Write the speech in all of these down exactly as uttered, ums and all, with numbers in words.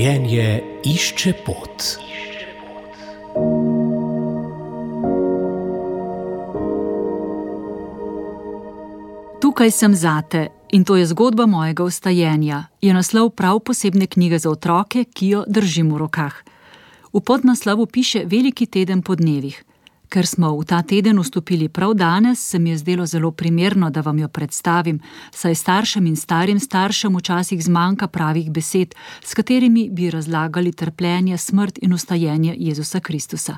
Življenje išče pot. Tukaj sem zate in to je zgodba mojega vstajenja, je naslov prav posebne knjige za otroke, ki jo držim v rokah. V podnaslovu piše Veliki teden po dnevih. Ker smo v ta teden vstopili prav danes, se mi je zdelo zelo primerno, da vam jo predstavim, saj staršem in starim staršem včasih zmanjka pravih besed, s katerimi bi razlagali trpljenje, smrt in vstajenje Jezusa Kristusa.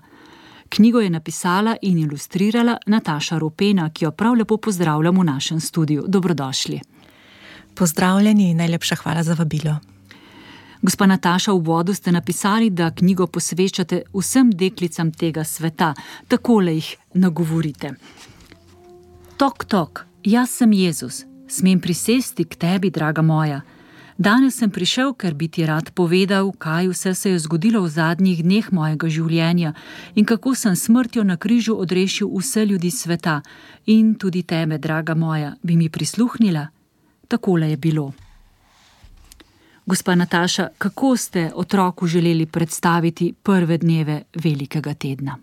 Knjigo je napisala in ilustrirala Nataša Rupena, ki jo prav lepo pozdravljam v našem studiu. Dobrodošli. Pozdravljeni in najlepša hvala za vabilo. Gospa Nataša, v uvodu ste napisali, da knjigo posvečate vsem deklicam tega sveta. Takole jih nagovorite. Tok, tok, jaz sem Jezus. Smem prisesti k tebi, draga moja. Danes sem prišel, ker bi ti rad povedal, kaj vse se je zgodilo v zadnjih dneh mojega življenja in kako sem smrtjo na križu odrešil vse ljudi sveta. In tudi tebe, draga moja, bi mi prisluhnila? Takole je bilo. Gospa Nataša, kako ste otroku želeli predstaviti prve dneve velikega tedna?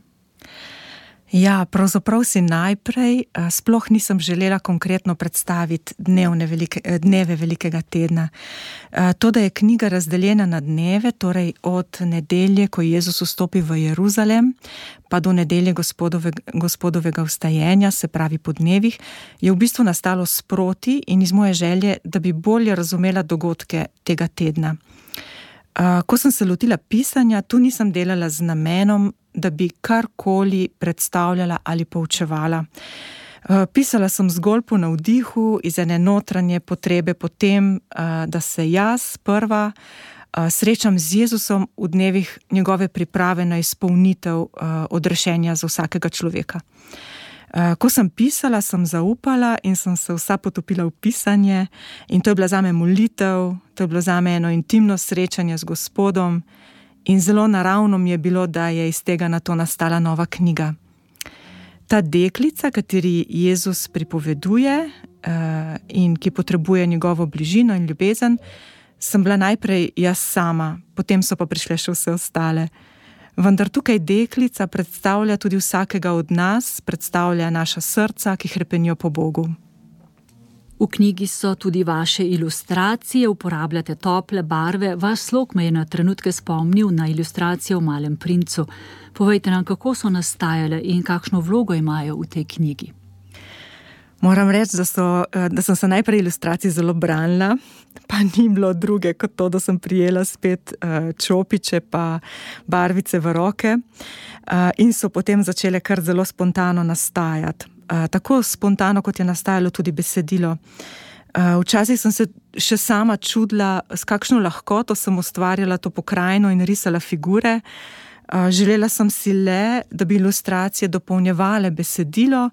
Ja, pravzaprav si najprej sploh nisem želela konkretno predstaviti dnevne velike, dneve velikega tedna. To, da je knjiga razdeljena na dneve, torej od nedelje, ko Jezus vstopi v Jeruzalem, pa do nedelje gospodove, gospodovega vstajenja, se pravi po dnevih, je v bistvu nastalo sproti in iz moje želje, da bi bolje razumela dogodke tega tedna. Ko sem se lotila pisanja, tu nisem delala z namenom, da bi karkoli predstavljala ali poučevala. Pisala sem zgolj po navdihu iz ene notranje potrebe po tem, da se jaz prva srečam z Jezusom v dnevih njegove priprave na izpolnitev odrešenja za vsakega človeka. Ko sem pisala, sem zaupala in sem se vsa potopila v pisanje in to je bila zame molitev, to je bilo zame eno intimno srečanje z Gospodom in zelo naravno mi je bilo, da je iz tega nato nastala nova knjiga. Ta deklica, kateri Jezus pripoveduje in ki potrebuje njegovo bližino in ljubezen, sem bila najprej jaz sama, potem so pa prišle še vse ostale. Vendar tukaj deklica predstavlja tudi vsakega od nas, predstavlja naša srca, ki hrepenijo po Bogu. V knjigi so tudi vaše ilustracije, uporabljate tople barve. Vaš slog me je na trenutke spomnil na ilustracije v Malem princu. Povejte nam, kako so nastajale in kakšno vlogo imajo v tej knjigi. Moram reči, da, so, da sem se najprej ilustracij zelo branila, pa ni bilo druge kot to, da sem prijela spet čopiče pa barvice v roke in so potem začele kar zelo spontano nastajati. Tako spontano, kot je nastajalo tudi besedilo. Včasih sem se še sama čudila, s kakšno lahkoto sem ustvarjala to pokrajino in risala figure. Želela sem si le, da bi ilustracije dopolnjevale besedilo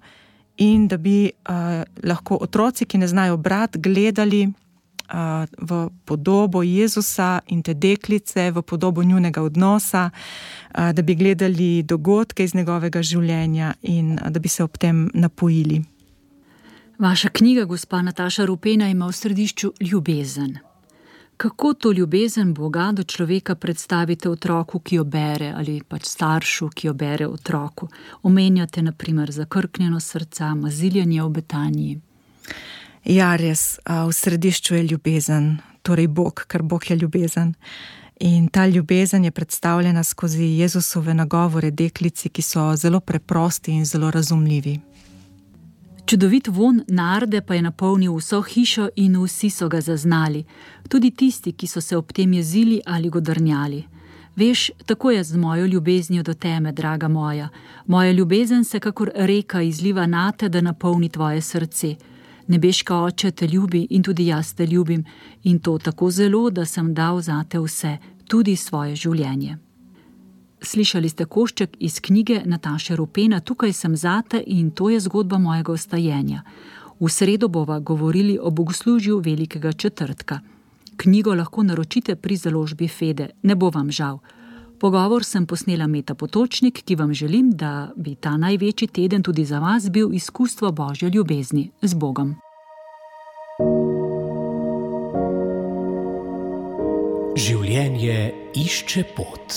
in da bi uh, lahko otroci, ki ne znajo brati, gledali uh, v podobo Jezusa in te deklice, v podobo njunega odnosa, uh, da bi gledali dogodke iz njegovega življenja in uh, da bi se ob tem napojili. Vaša knjiga, gospa Nataša Rupena, ima v središču ljubezen. Kako to ljubezen Boga do človeka predstavite otroku, ki jo bere, ali pač staršu, ki jo bere otroku? Omenjate na primer zakrknjeno srca, maziljenje v Betaniji. Ja, res, v središču je ljubezen, torej Bog, ker Bog je ljubezen. In ta ljubezen je predstavljena skozi Jezusove nagovore deklici, ki so zelo preprosti in zelo razumljivi. Čudovit von narde pa je napolnil vso hišo in vsi so ga zaznali, tudi tisti, ki so se ob tem jezili ali godrnjali. Veš, tako je z mojo ljubeznijo do teme, draga moja. Moja ljubezen se kakor reka izliva nate, da napolni tvoje srce. Nebeška Oče te ljubi in tudi jaz te ljubim in to tako zelo, da sem dal zate vse, tudi svoje življenje. Slišali ste košček iz knjige Nataše Rupena Tukaj sem zate in to je zgodba mojega vstajenja. V sredo bova govorili o bogoslužju velikega četrtka. Knjigo lahko naročite pri založbi Fede, ne bo vam žal. Pogovor sem posnela Meta Potočnik, ki vam želim, da bi ta največji teden tudi za vas bil izkustvo Božje ljubezni. Z Bogom. Življenje išče pot.